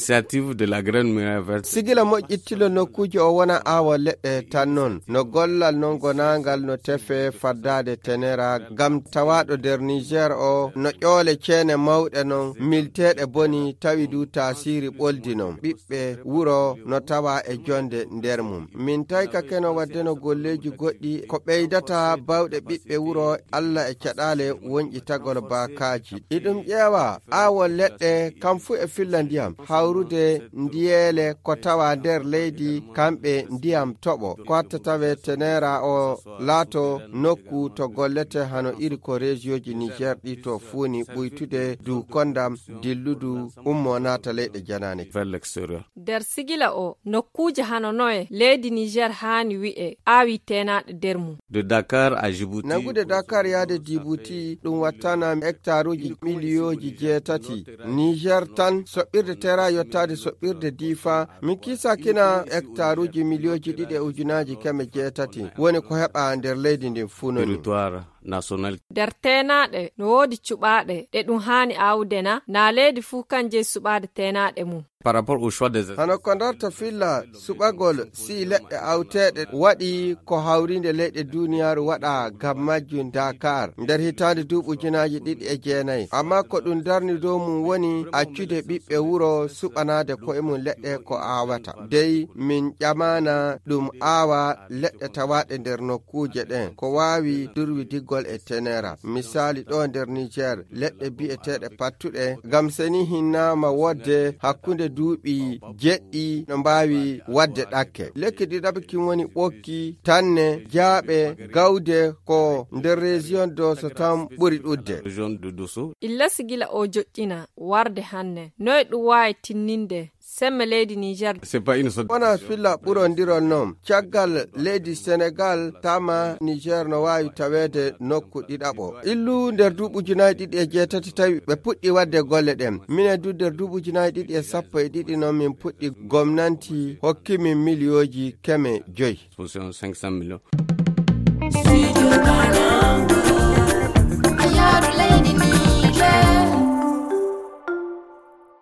l'initiative de la Grande Muraille Verte. Sigila moƴƴittilo nokkuuje o wona aawa leɗɗe tan non no gollal non gonangal no tefe faddade tenera gam tawaɗo nder Niger o no ƴoole ceene mawɗe non milteɗe boni tawi du tasiri ɓoldi non ɓiɓɓe wuro no tawa e jonde nder mum. Min tayka keno waddeno golleji goɗɗi ko ɓeydata bawɗe ɓiɓɓe wuro Allah e caɗale wonƴi tagol bakaji. Iɗum ƴeewa aawol leɗɗe kam fu e filla ndiyam hawrude ndiyele ko tawa nder leydi kamɓe ndiyam toɓo ko hatta tawe tenera o laato nokku to gollete hano iri ko région Niger ɗi to fuuni ɓuytude du kondam dilludu ummo naata leyɗe janane vers l'extérieur. Der sigila o nokkuje hano noye leydi Niger hani wi'e awi tenaɗe nder mum. De Dakar à Djibouti. Nagude Dakar yaade Djibouti ɗum wattana hectaruji miliyoji 7. Niger tan soɓɓirde tera yottade soɓɓirde difa min kisa kina hectaruji miliyoji 2,800 woni ko heɓa nder leydi ndin funoni. Territoire national. Der tenaɗe no woodi cuɓaɗe ɗe ɗum hani awdena na leydi fu kanje suɓade tenaɗe mum. Par rapport au choix des hano ko darta filla suɓagol si leɗɗe awteɗe waɗi ko hawrinde leyɗe duniyaru waɗa gam majjum Dakar nder hitande duuɓi 2009 amma ko ɗum darni dow mum woni accude ɓiɓɓe wuro suɓanade koye mum leɗɗe ko awata dey min ƴamana ɗum aawa leɗɗe tawaɗe nder nokkuje ɗen ko wawi durwi diggol e tenera misali ɗo nder Niger leɗɗe bi'eteɗe pattuɗe gam seni hinnama wodde hakkunde duuɓi jeɗɗi no mbawi wadde ɗakke lekki ɗiɗaɓkin woni ɓokki tanne jaaɓe gawde ko nder région Dosso tan ɓuri ɗudde région de Dosso. Illa sigila o joƴƴina warde hanne noye ɗum wawi tinninde semme leydi Niger. C'est pas une wona filla ɓurondirol noon caggal leydi Sénégal tama Niger no wawi tawede nokku ɗiɗaɓo illu nder duuɓi 2008 tawi ɓe puɗɗi wadde golle ɗen mine du nder duuɓi 2012 noon min puɗɗi gomnanti hokkimin miliyoji 500. 500 millions.